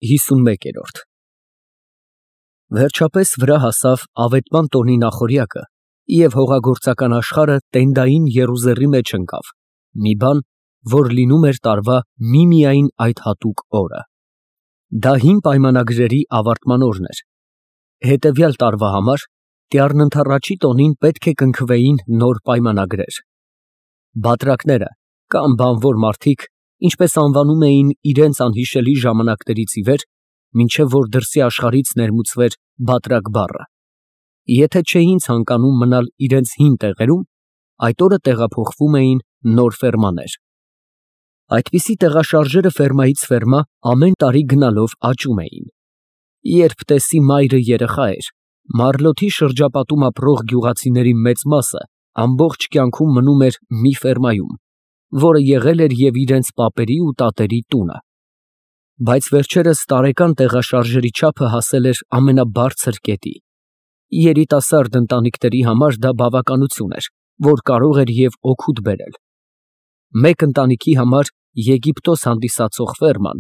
51 Վերջապես վրա հասավ ավետման տոնի նախօրյակը, և հողագործական աշխարհը տենդային եռուզեռի մեջ ընկավ, մի բան, որ լինում էր տարվա միմիայն այդ հատուկ օրը. դա հին պայմանագրերի ավարտման օրն էր, հետևյալ տարվա համար տյառն ընդառաջի տոնին պետք է կնքվեին նոր պայմանագրեր. բատրակները կամ բանվոր մարդիկ, ինչպես անվանում էին իրենց անհիշելի ժամանակներից ի վեր, մինչև որ դրսի աշխարհից ներմուծվեր բատրակ բառը, եթե չէին ցանկանում մնալ իրենց հին տեղերում, այդ օրը տեղափոխվում էին նոր ֆերմաներ. այդպիսի տեղաշարժերը ֆերմայից ֆերմա ամեն տարի գնալով աճում էին. երբ տեսի մայրը երեխա էր, Մարլոթի շրջապատում ապրող գյուղացիների մեծ մասը ամբողջ կյանքում մնում էր մի ֆերմայում, որը եղել էր և իրենց պապերի ու տատերի տունը, բայց վերջերս տարեկան տեղաշարժերի չափը հասել էր ամենաբարձր կետի. երիտասարդ ընտանիքների համար դա բավականություն էր, որ կարող էր և օգուտ բերել. մեկ ընտանիքի համար Եգիպտոս հանդիսացող ֆերման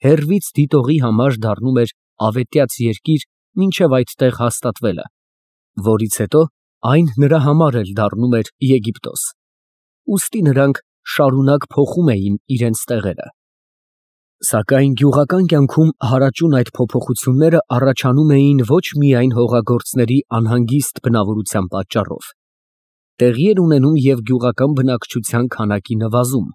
հեռվից դիտողի համար դառնում էր ավետյաց երկիր մինչև այդտեղ հաստատվելը, որից հետո այն նրա համար էլ դառնում էր Եգիպտոս, ուստի նրանք շարունակ փոխում էին իրենց տեղերը. Սակայն գյուղական կյանքում հարաճուն այդ փոփոխությունները առաջանում էին ոչ միայն հողագործների անհանգիստ բնավորության պատճառով. տեղի էր ունենում և գյուղական բնակչության քանակի նվազում.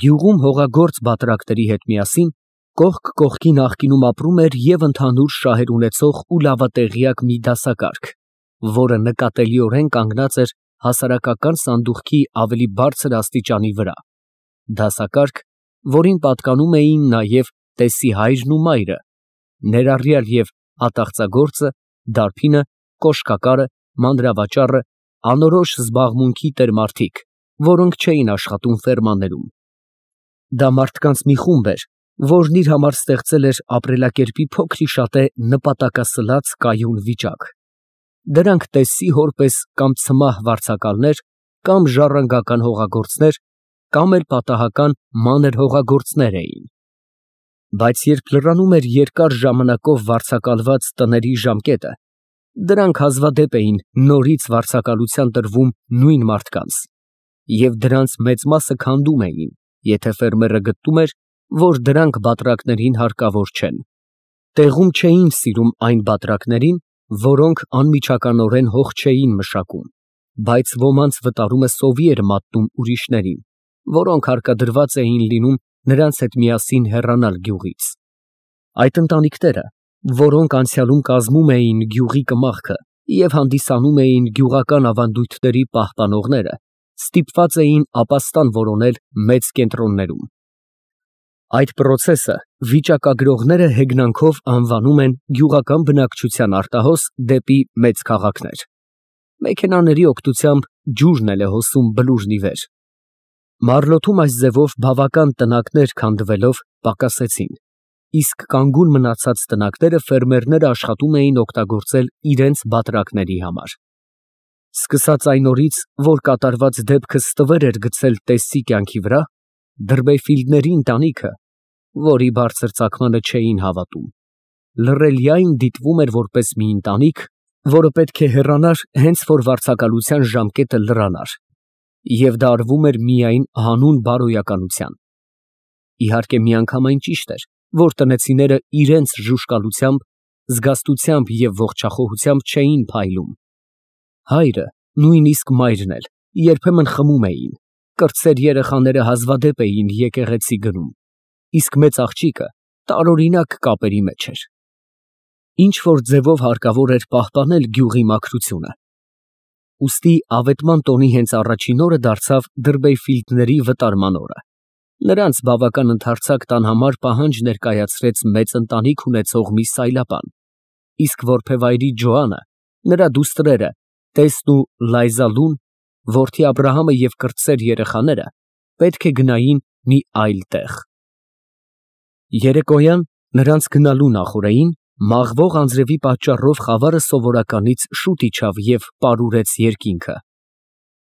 Գյուղում հողագործ բատրակների հետ միասին կողք կողքի նախկինում ապրում էր և ընդհանուր շահեր ունեցող ու լավատեղյակ մի դասակարգ, որը նկատելիորեն կանգնած էր հասարակական սանդուղքի ավելի բարձր աստիճանի վրա, դասակարգ, որին պատկանում էին նաև տեսի հայրն ու մայրը, ներառյալ և ատաղծագործը, դարբինը, կոշկակարը, մանրավաճառը, անորոշ զբաղմունքի տեր մարդիկ, որոնք չէին աշխատում ֆերմաներում. դա մարդկանց մի խումբ էր, որն իր համար ստեղծել էր ապրելակերպի փոքրիշատե նպատակասլաց կայուն վիճակ. դրանք տեսի հոր պես կամ ցմահ վարձակալներ, կամ ժառանգական հողագործներ, կամ էլ պատահական մանր հողագործներ էին. Բայց երբ լրանում էր երկար ժամանակով վարձակալված տների ժամկետը, դրանք հազվադեպ էին նորից վարձակալության տրվում նույն մարդկանց, և դրանց մեծ մասը քանդում էին, եթե ֆերմերը գտնում էր, որ դրանք բատրակներին հարկավոր չեն. տեղում չէին սիրում այն բատրակներին, որոնք անմիջականորեն հող չէին մշակում, բայց ոմանց վտարումը սովի էր մատնում ուրիշներին, որոնք հարկադրված էին լինում նրանց հետ միասին հեռանալ գյուղից. այդ ընտանիքները, որոնք անցյալում կազմում էին գյուղի կմախքը և հանդիսանում էին գյուղական ավանդույթների պահպանողները, ստիպված էին ապաստան որոնել մեծ կենտրոններում. Այդ պրոցեսը վիճակագրողները հեգնանքով անվանում են գյուղական բնակչության արտահոս դեպի մեծ քաղաքներ. մեքենաների օգնությամբ ջուրն էլ է հոսում բլուրն ի վեր. Մարլոթում այս ձևով բավական տնակներ քանդվելով պակասեցին, իսկ կանգուն մնացած տնակները ֆերմերները աշխատում էին օգտագործել իրենց բատրակների համար. Սկսած այն օրից, որ կատարված դեպքը ստվեր էր գցել տեսի կյանքի վրա, Դրբեֆիլդների ընտանիքը, որի բարձր ծագմանը չէին հավատում, լռելիայն դիտվում էր որպես մի ընտանիք, որը պետք է հեռանար հենց որ վարձակալության ժամկետը լրանար, և դա արվում էր միայն հանուն բարոյականության. իհարկե միանգամայն ճիշտ էր, որ տնեցիները իրենց ժուժկալությամբ, զգաստությամբ և ողջախոհությամբ չէին փայլում. հայրը, նույնիսկ մայրն էլ, երբեմն խմում էին, կրտսեր երեխաները հազվադեպ էին եկեղեցի գնում, իսկ մեծ աղջիկը տարօրինակ կապերի մեջ էր. ինչ-որ ձևով հարկավոր էր պահպանել գյուղի մաքրությունը. ուստի ավետման տոնի հենց առաջին օրը դարձավ Դրբեֆիլդների վտարման օրը. նրանց բավական ընդարձակ տան համար պահանջ ներկայացրեց մեծ ընտանիք ունեցող մի սայլապան, իսկ որբևայրի Ջոանը, նրա դուստրերը Տեսն ու Լայզալուն, որդի Աբրահամը և կրտսեր երեխաները պետք է գնային մի այլ տեղ. երեկոյան նրանց գնալու նախօրեին մաղվող անձրևի պատճառով խավարը սովորականից շուտ իջավ և պարուրեց երկինքը.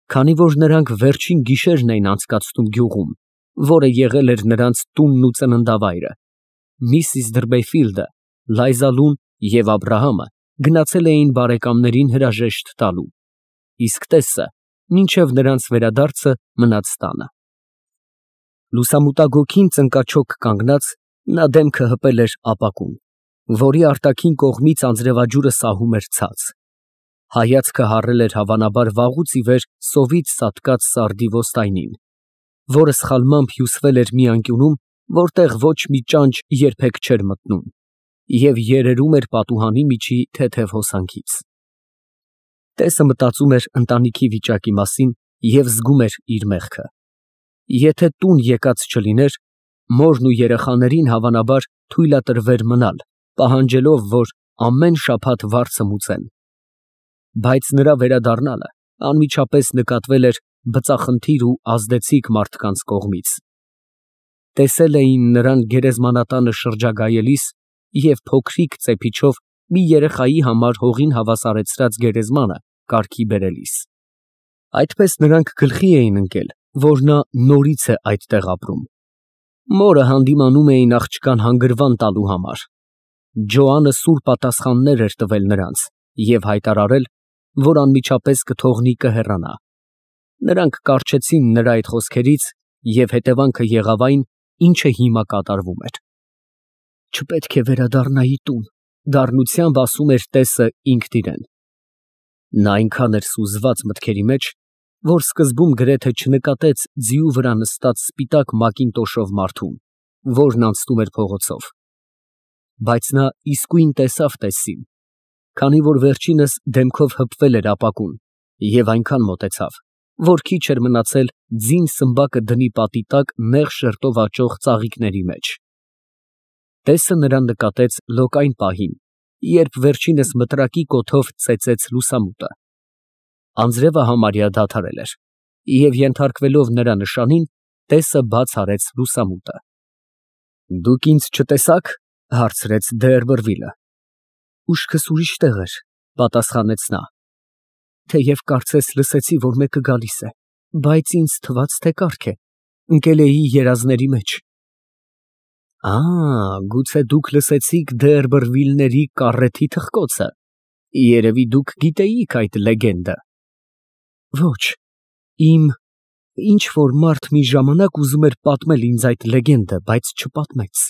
Քանի որ նրանք վերջին գիշերն էին անցկացնում գյուղում, որը եղել էր նրանց տունն ու ծննդավայրը, Միսիս Դրբեյֆիլդը, Լայզալուն և Աբրահամը գնացել էին բարեկամներին հրաժեշտ տալու, իսկ տեսը մինչև նրանց վերադարձը մնաց տանը։ Լուսամուտագոգին ծնկաչոք կանգնած, նա դեմքը հպել էր ապակուն, որի արտաքին կողմից անձրևաջուրը սահում էր ցած։ Հայացքը հառել էր հավանաբար վաղուց ի վեր սովից սատկած սարդի ոստայնին, որը սխալմամբ հյուսվել էր մի անկյունում, որտեղ ոչ մի ճանճ երբեք չէր մտնում, և երերում էր պատուհանի միջի թեթև հոսանքից։ Տեսը մտածում էր ընտանիքի վիճակի մասին և զգում էր իր մեղքը։ Եթե տուն եկած չլիներ, մորն ու երեխաներին հավանաբար թույլատրվեր մնալ, պահանջելով, որ ամեն շաբաթ վարձը մուծեն։ Բայց նրա վերադառնալը անմիջապես նկատվել էր բծախնդիր ու ազդեցիկ մարդկանց կողմից։ Տեսել էին նրան գերեզմանատանը շրջագայելիս և փոքրիկ ծեփիչով մի երեխայի համար հողին հավասարեցրած գերեզմանը կարգի բերելիս։ Այդպես նրանք գլխի էին ընկել, որ նա նորից է այդտեղ ապրում։ Մորը հանդիմանում էին աղջկան հանգրվան տալու համար։ Ջոանը սուր պատասխաններ էր տվել նրանց և հայտարարել, որ անմիջապես կթողնի կհեռանա։ Նրանք կառչեցին նրա այդ խոսքերից և հետևանքը եղավ այն, ինչը հիմա կատարվում էր։ Չպետք է վերադառնայի տուն, դառնությամբ ասում էր տեսը ինքն իրեն։ Նա այնքան էր սուզված մտքերի մեջ, որ սկզբում գրեթե չնկատեց ձիու վրա նստած սպիտակ մակինտոշով մարդուն, որն անցնում էր փողոցով։ Բայց նա իսկույն տեսավ տեսին, քանի որ վերջինս դեմքով հպվել էր ապակուն և այնքան մոտեցավ, որ քիչ էր մնացել ձին սմբակը դնի պատի տակ նեղ շերտով աճող ծաղիկների մեջ։ Տեսը նրան նկատեց լոկայն պահին, երբ վերջինս մտրակի կոթով ծեծեց լուսամուտը։ Անձրևը համարյա դադարել էր, և ենթարկվելով նրա նշանին, տեսը բաց արեց լուսամուտը։ Դուք ինձ չտեսա՞ք, հարցրեց Դերբերվիլը։ Ուշքս ուրիշ տեղ էր, պատասխանեց նա, թեև կարծես լսեցի, որ մեկը գալիս է, բայց ինձ թվաց, թե կառք է, ընկել էի երազների մեջ։ Գուցե դուք լսեցիք Դերբերվիլների կառեթի թխկոցը, երևի դուք գիտեիք այդ լեգենդը։ Ոչ, ինչ-որ մարդ մի ժամանակ ուզում էր պատմել ինձ այդ լեգենդը, բայց չպատմեց։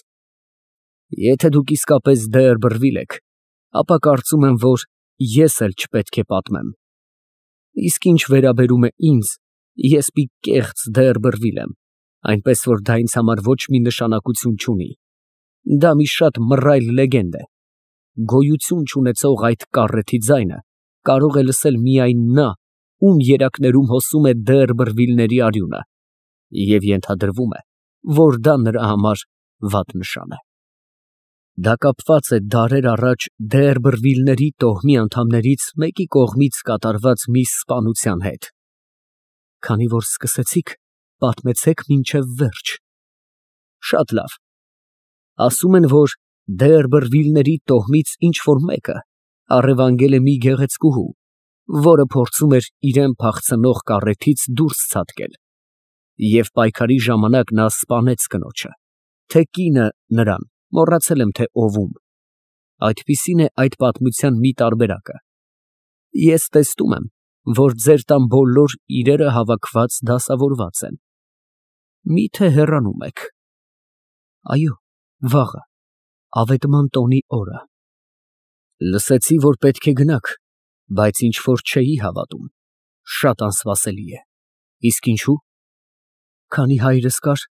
Եթե դուք իսկապես Դերբերվիլ եք, ապա կարծում եմ, որ ես էլ չպետք է պատմեմ։ Իսկ ինչ վերաբերում է ինձ, ես մի կեղծ Դերբերվիլ եմ, այնպես որ դա ինձ համար ոչ մի նշանակություն չունի։ Դա մի շատ մռայլ լեգենդ է։ Գոյություն չունեցող այդ կառեթի ձայնը կարող է լսել միայն նա, ում երակներում հոսում է Դերբերվիլների արյունը, և ենթադրվում է, որ դա նրա համար վատ նշան է։ Դա կապված է դարեր առաջ Դերբերվիլների տոհմի անդամներից մեկի կողմից կատարված մի սպանության հետ։ Քանի որ սկսեցիք, պատմեցեք մինչև վերջ։ Շատ լավ։ Ասում են, որ Դերբերվիլների տոհմից ինչ-որ մեկը առևանգել է մի գեղեցկուհու, որը փորձում էր իրան փախցնող կառեթից դուրս ցատկել, և պայքարի ժամանակ նա սպանեց կնոջը, թե կինը նրան, մոռացել եմ, թե ով ում։ Այդպիսին է այդ պատմության մի տարբերակը։ Ես տեսնում եմ, որ ձեր տան բոլոր իրերը հավաքված դասավորված են։ Մի՞թե հեռանում եք։ Այո, վաղը, Ավետման տոնի օրը։ Լսեցի, որ պետք է գնաք, բայց ինչ-որ չէի հավատում։ Շատ անսպասելի է։ Իսկ ինչու։ Քանի հայրս կար,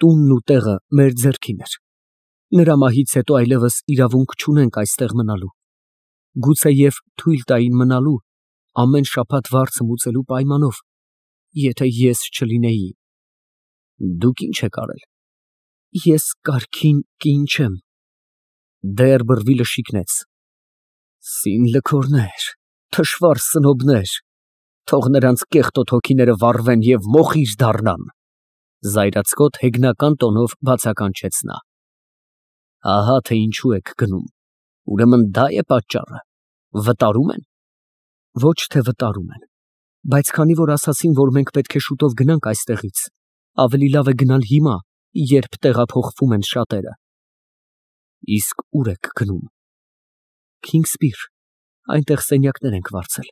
տունն ու տեղը մեր ձեռքին էր։ Նրա մահից հետո այլևս իրավունք չունենք այստեղ մնալու։ Գուցեև թույլ տային մնալու ամեն շաբաթ վարձը մուծելու պայմանով, եթե ես չլինեի։ Դուք ինչ եք արել։ Ես կարգին կին չեմ։ Դերբերվիլը շիկնեց։ Սին լքորներ, թշվառ սնոբներ, թող նրանց կեղտոտ հոգիները վառվեն և մոխիր դառնան, զայրացկոտ հեգնական տոնով բացականչեց նա։ Ահա թե ինչու եք գնում։ Ուրեմն դա է պատճառը։ Վտարում են։ Ոչ թե վտարում են, բայց քանի որ ասացին, որ մենք պետք է շուտով գնանք այստեղից, ավելի լավ է գնալ հիմա, երբ տեղափոխվում են շատերը։ Իսկ ուր եք գնում։ Քինգսպիր, այնտեղ սենյակներ ենք վարձել։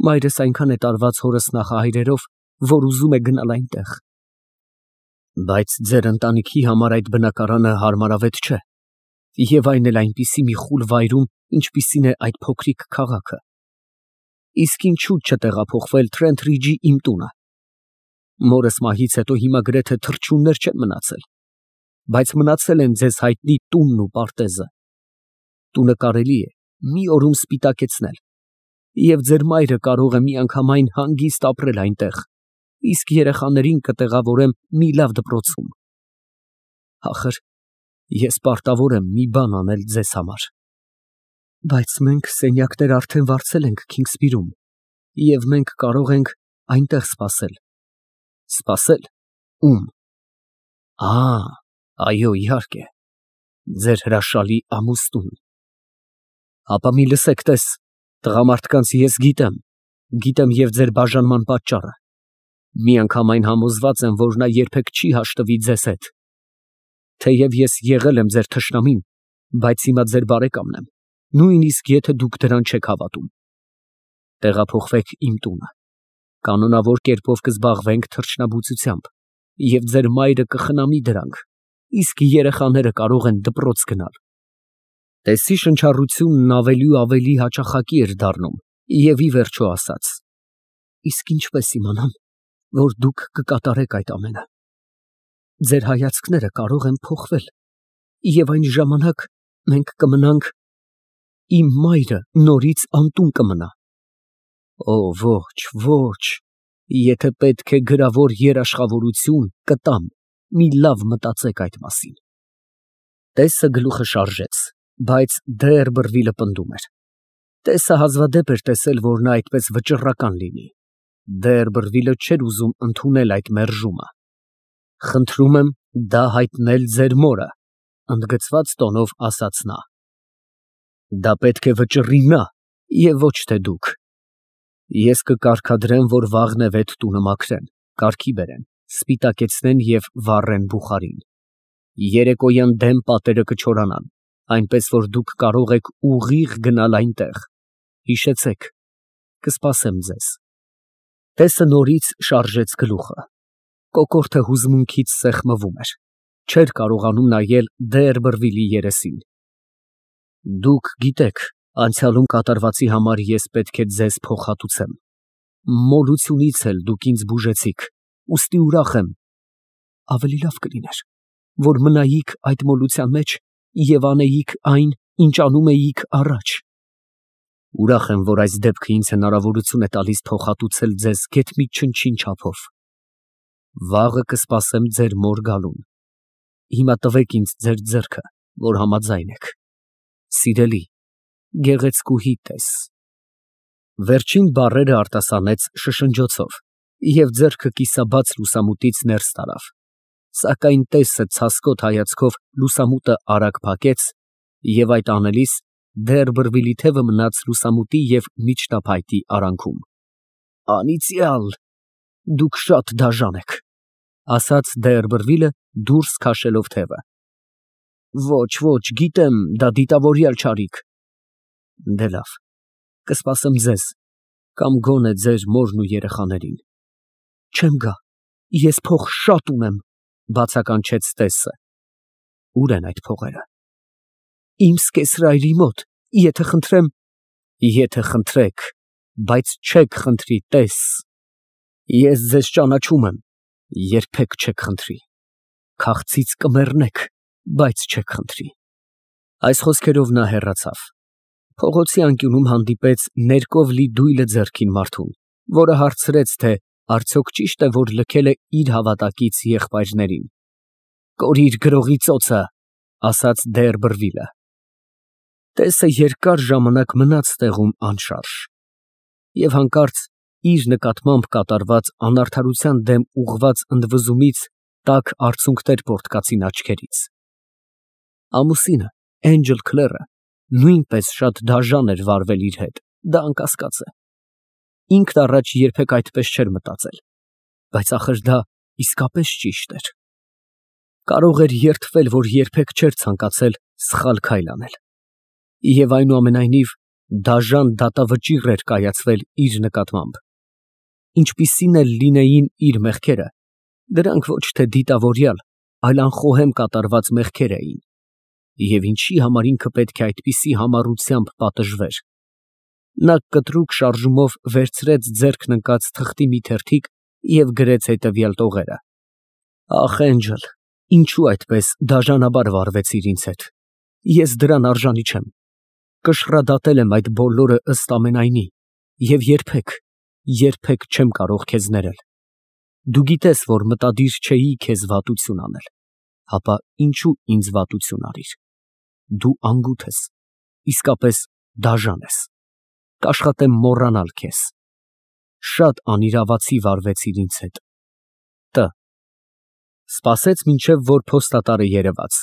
Մայրս այնքան է տարված հորս նախահայրերով, որ ուզում է գնալ այնտեղ։ Բայց ձեր ընտանիքի համար այդ բնակարանը հարմարավետ չէ, եւ այն էլ այնպիսի մի խուլ վայրում, ինչպիսին է այդ փոքրիկ քաղաքը։ Իսկ ինչու չտեղափոխվել Թրենթրիջի իմ տունը։ Մորս մահից հետո հիմա գրեթե թռչուններ չեն մնացել, բայց մնացել են ձեզ հայտնի տունն ու պարտեզը։ Տունը կարելի է մի օրում սպիտակեցնել, եւ ձեր մայրը կարող է միանգամայն հանգիստ ապրել այնտեղ, իսկ երեխաներին կտեղավորեմ մի լավ դպրոցում։ Ախր, ես պարտավոր եմ մի բան անել ձեզ համար։ Բայց մենք սենյակներ արդեն վարձել ենք Քինգսպիրում, եւ մենք կարող ենք այնտեղ սպասել։ Սպասել։ Ում։ Այո, իհարկե, ձեր հրաշալի ամուսնուն։ Ապա մի լսեք, տես, տղամարդկանց ես գիտեմ եւ ձեր բաժանման պատճառը։ Միանգամայն համոզված եմ, որ նա երբեք չի հաշտվի ձեզ հետ։ Թեև ես եղել եմ ձեր թշնամին, բայց հիմա ձեր բարեկամն եմ, նույնիսկ եթե դուք դրան չեք հավատում։ Տեղափոխվեք իմ տունը։ Կանոնավոր կերպով կզբաղվենք թռչնաբուծությամբ, եւ ձեր մայրը կխնամի դրանք, իսկ երեխաները կարող են դպրոց գնալ։ Տեսի շնչառությունն ավելի ու ավելի հաճախակի էր դառնում, եւ ի վերջո ասաց. Իսկ ինչպես իմանամ, որ դուք կկատարեք այդ ամենը։ Ձեր հայացքները կարող են փոխվել, եւ այն ժամանակ մենք կմնանք, իմ մայրը նորից անտուն կմնա։ Օ, ոչ, եթե պետք է գրավոր երաշխավորություն կտամ, մի լավ մտածեք այդ մասին։ Տեսը գլուխը շարժեց, բայց Դերբերվիլը պնդում էր։ Տեսը հազվադեպ էր տեսել, որ նա այդպես վճռական լինի։ Դերբերվիլը չէր ուզում ընդունել այդ մերժումը։ Խնդրում եմ դա հայտնել ձեր մորը, ընդգծված տոնով ասաց նա։ Դա պետք է վճռի նա, եւ ոչ թե դուք։ Ես կկարգադրեմ, որ վաղնևեթ տունը մաքրեն, կարգի բերեն, սպիտակեցնեն եւ վառեն բուխարին։ Երեկոյան դեմ պատերը կչորանան, այնպես որ դուք կարող եք ուղիղ գնալ այնտեղ։ Հիշեցեք, կսպասեմ ձեզ։ Տեսը նորից շարժեց գլուխը։ Կոկորդը հուզմունքից սեղմվում էր։ Չէր կարողանում նայել Դերբերվիլի երեսին։ Դուք գիտեք, անցյալում կատարվածի համար ես պետք է ձեզ փոխհատուցեմ։ Մոլությունից էլ դուք ինձ բուժեցիք, ուստի ուրախ եմ։ Ավելի լավ կլիներ, որ մնայիք այդ մոլության մեջ եւ անեիք այն, ինչ անում էիք առաջ։ Ուրախ եմ, որ այս դեպքը ինձ հնարավորություն է տալիս փոխհատուցել ձեզ գեթ մի չնչին չափով։ Վաղը կսպասեմ ձեր մոր գալուն։ Հիմա տվեք ինձ ձեր ձեռքը, որ համաձայն եք։ Սիրելի, գեղեցկուհի տես։ Վերջին բառերը արտասանեց շշնջոցով եւ ձեռքը կիսաբաց լուսամուտից ներս տարավ, սակայն տեսը ցասկոտ հայացքով լուսամուտը արագ փակեց եւ այդ անելիս Դերբերվիլի թևը մնաց լուսամուտի եւ միջտափայտի արանքում։ Անիծյալ, դուք շատ դաժան եք, ասաց Դերբերվիլը դուրս քաշելով թևը։ Ոչ, գիտեմ, դա դիտավորյալ չարիք։ Դե լավ, կսպասեմ ձեզ, կամ գոնե ձեր մորն ու երեխաներին։ Չեմ գա, ես փող շատ ունեմ, բացականչեց տեսը։ Ուր են այդ փողերը։ Իմ սկեսրայրի մոտ, եթե խնդրեմ։ Եթե խնդրեք, բայց չեք խնդրի, տես։ Ես ձեզ ճանաչում եմ, երբեք չեք խնդրի։ Քաղցից կմեռնեք, բայց չեք խնդրի։ Այս խոսքերով նա հեռացավ։ Փողոցի անկյունում հանդիպեց ներկով լի դույլը ձեռքին մարդուն, որը հարցրեց, թե արդյոք ճիշտ է, որ լքել է իր հավատակից եղբայրներին։ Կորիր գրողի ծոցը, ասաց Դերբերվիլը։ Տեսը երկար ժամանակ մնաց տեղում անշարժ եւ հանկարծ իր նկատմամբ կատարված անարդարության դեմ ուղղված ընդվզումից տաք արցունքներ պոռթկացին աչքերից։ Ամուսինը, Էնջել Քլերը, նույնպես շատ դաժան էր վարվել իր հետ, դա անկասկած է։ Ինքն առաջ երբեք այդպես չէր մտածել, բայց ախր դա իսկապես ճիշտ էր։ Կարող էր երդվել, որ երբեք չէր ցանկացել Սխալ քայլ անել։ Եվ այնուամենայնիվ դաժան դատավճիռ էր կայացվել իր նկատմամբ։ Ինչպիսին էլ լինեին իր մեղքերը, դրանք ոչ թե դիտավորյալ, այլ անխոհեմ կատարված մեղքեր էին։ Եվ ինչի համար ինքը պետք է այդպիսի համառությամբ պատժվեր։ Նա կտրուկ շարժումով վերցրեց ձեռքն ընկած թղթի մի թերթիկ և գրեց հետևյալ տողերը. Ախ, Էնջել, ինչու այդպես դաժանաբար վարվեցիր ինձ հետ։ Ես դրան արժանի չեմ։ Կշռադատել եմ այդ բոլորը ըստ ամենայնի և երբեք չեմ կարող քեզ ներել։ Դու գիտես, որ մտադիր չէի քեզ վատություն անել, հապա ինչու ինձ վատություն արիր։ Դու անգութ ես, իսկապես դաժան ես, կաշխատեմ մոռանալ քեզ։ Շատ անիրավացի վարվեցիր ինձ հետ։ Տ. Սպասեց, մինչև որ փոստատարը երևաց,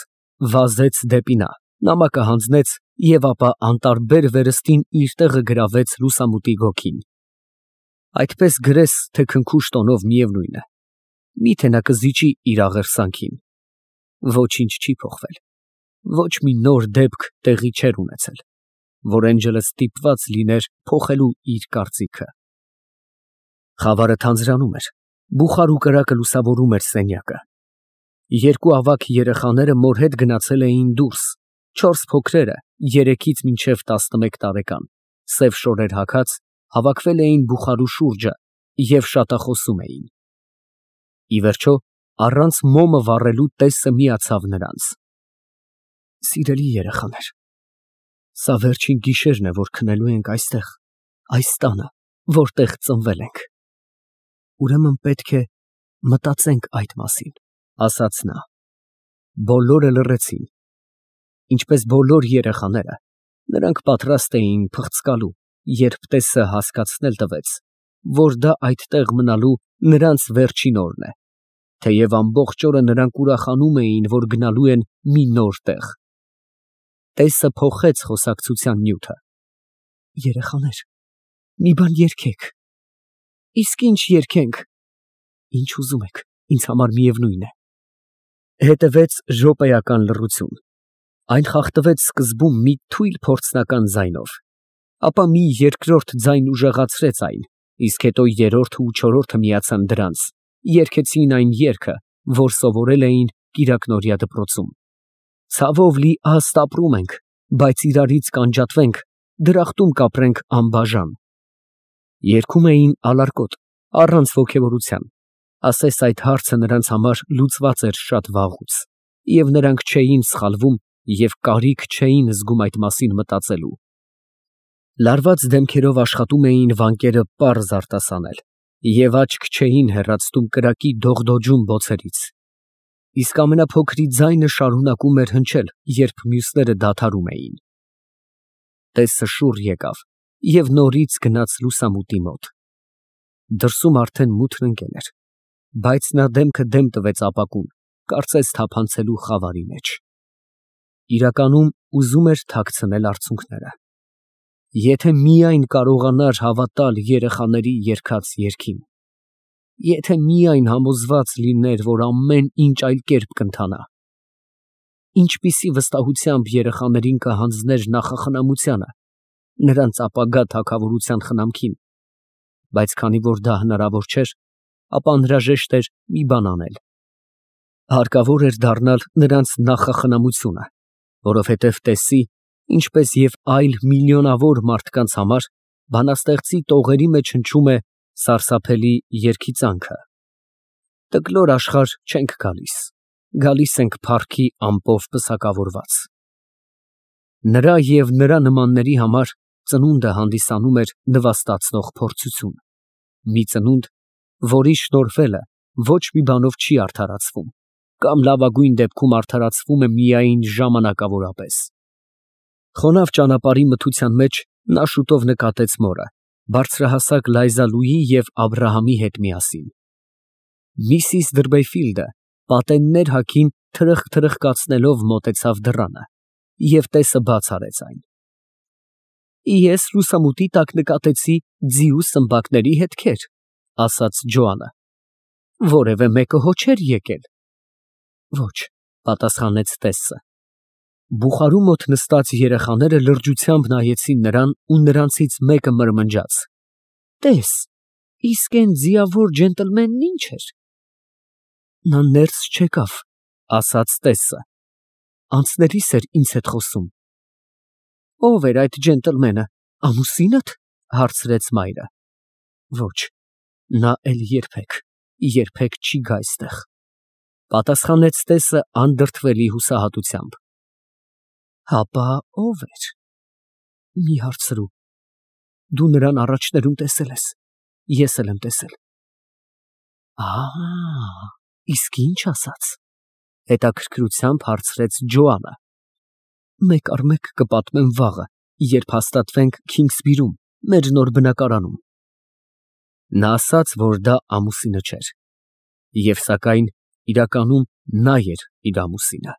վազեց դեպի նա, նամակը հանձնեց և ապա անտարբեր վերստին իր տեղը գրավեց լուսամուտի գոգին։ Այդպես գրես, թե քնքուշ տոնով միևնույն է։ Միթե նա կզիջի իր աղերսանքին։ Ոչինչ չի փոխվել։ Ոչ մի նոր դեպք տեղի չէր ունեցել, որ Էնջելը ստիպված լիներ փոխելու իր կարծիքը։ Խավարը թանձրանում էր, բուխար ու կրակը լուսավորում էր սենյակը։ Երկու ավագ երեխաները մոր հետ գնացել էին դուրս, 4 փոքրերը 3-ից մինչև 11 տարեկան, սև շորեր հագած, հավաքվել էին բուխարու շուրջը և շատախոսում էին։ Ի վերջո, առանց մոմը վառելու տեսը միացավ նրանց։ Սիրելի երեխաներ, սա վերջին գիշերն է, որ քնելու ենք այստեղ, այս տանը, որտեղ ծնվել ենք։ Ուրեմն պետք է մտածենք այդ մասին, ասաց նա։ Բոլորը լռեցին։ Ինչպես բոլոր երեխաները, նրանք պատրաստ էին փղծկալու, երբ տեսը հասկացնել տվեց, որ դա այդտեղ մնալու նրանց վերջին օրն է, թեև ամբողջ օրը նրանք ուրախանում էին, որ գնալու են մի նոր տեղ։ Տեսը փոխեց խոսակցության նյութը։ Երեխաներ, մի բան երգեք։ Իսկ ինչ երգենք։ Ինչ ուզում եք, ինձ համար միևնույն է։ Հետևեց րոպեական լռություն։ Այն խախտվեց սկզբում մի թույլ փորձնական ձայնով, ապա մի երկրորդ ձայն ուժեղացրեց այն, իսկ հետո երրորդը ու չորրորդը միացան դրանց, երգեցին այն երգը, որ սովորել էին կիրակնօրյա դպրոցում։ Ցավով լի աստ ապրում ենք, բայց իրարից կանջատվենք, դրախտում կապրենք անբաժան։ Երգում էին ալարկոտ, առանց ոգևորության, ասես այդ հարցը նրանց համար լուծված էր շատ վաղուց, և նրանք չէին սխալվում և կարիք չէին զգում այդ մասին մտածելու։ Լարված դեմքերով աշխատում էին վանկերը պարզ արտասանել և աչք չէին հեռացնում կրակի դողդոջուն բոցերից։ Իսկ ամենափոքրի ձայնը շարունակում էր հնչել, երբ մյուսները դադարում էին։ Տեսը շուռ եկավ և նորից գնաց լուսամուտի մոտ։ Դրսում արդեն մութն ընկել էր, բայց նա դեմքը դեմ տվեց ապակուն, կարծես թափանցելու խավարի մեջ։ Իրականում ուզում էր թաքցնել արցունքները։ Եթե միայն կարողանար հավատալ երեխաների երգած երգին։ Եթե միայն համոզված լիներ, որ ամեն ինչ այլ կերպ կընթանա։ Ինչպիսի վստահությամբ երեխաներին կհանձներ նախախնամությանը, նրանց ապագա թագավորության խնամքին, բայց քանի որ դա հնարավոր չէր, ապա անհրաժեշտ էր մի բան անել։ Հարկավոր էր դառնալ նրանց նախախնամությունը, որովհետև տեսի, ինչպես և այլ միլիոնավոր մարդկանց համար, բանաստեղծի տողերի մեջ հնչում է սարսափելի երգիծանքը. Տկլոր աշխարհ չենք գալիս, գալիս ենք փառքի ամպով պսակավորված։ Նրա և նրա նմանների համար ծնունդը հանդիսանում էր նվաստացնող փորձություն, մի ծնունդ, որի շնորհվելը ոչ մի բանով չի արդարացվում, կամ լավագույն դեպքում արդարացվում է միայն ժամանակավորապես։ Խոնավ ճանապարհի մթության մեջ նա շուտով նկատեց մորը, բարձրահասակ Լայզալուի և Աբրահամի հետ միասին։ Միսիս Դրբեֆիլդը պատեններ հագին թրխկացնելով մոտեցավ դռանը և տեսը բաց արեց այն։ Ես լուսամուտի տակ նկատեցի ձիու սմբակների հետքեր, ասաց Ջոանը։ Որևէ մեկը հո չէր եկել։ Ոչ, պատասխանեց տեսը։ Բուխարու մոտ նստած երեխաները լրջությամբ նայեցին նրան ու նրանցից մեկը մրմնջաց. «Տես, իսկ էն ձիավոր ջենտլմենն ի՞նչ էր»։ «Նա ներս չեկավ», ասաց տեսը, «անցնելիս էր ինձ հետ խոսում»։ «Ո՞վ էր այդ ջենտլմենը, ամուսինդ»։ հարցրեց մայրը։ «Ոչ, նա էլ երբեք չի գա այստեղ», պատասխանեց տեսը անդրդվելի հուսահատությամբ։ «Հապա ո՞վ էր»։ «Մի հարցրու, դու նրան առաջներում տեսել ես, ես էլ եմ տեսել»։ Իսկ ի՞նչ ասաց։ հետաքրքրությամբ հարցրեց Ջոանը։ «Մեկ առ մեկ կպատմեմ վաղը, երբ հաստատվենք Քինգսբիրում, մեր նոր բնակարանում»։ Նա ասաց, որ դա ամուսինը չէր, և սակայն իրականում նա էր իր ամուսինը։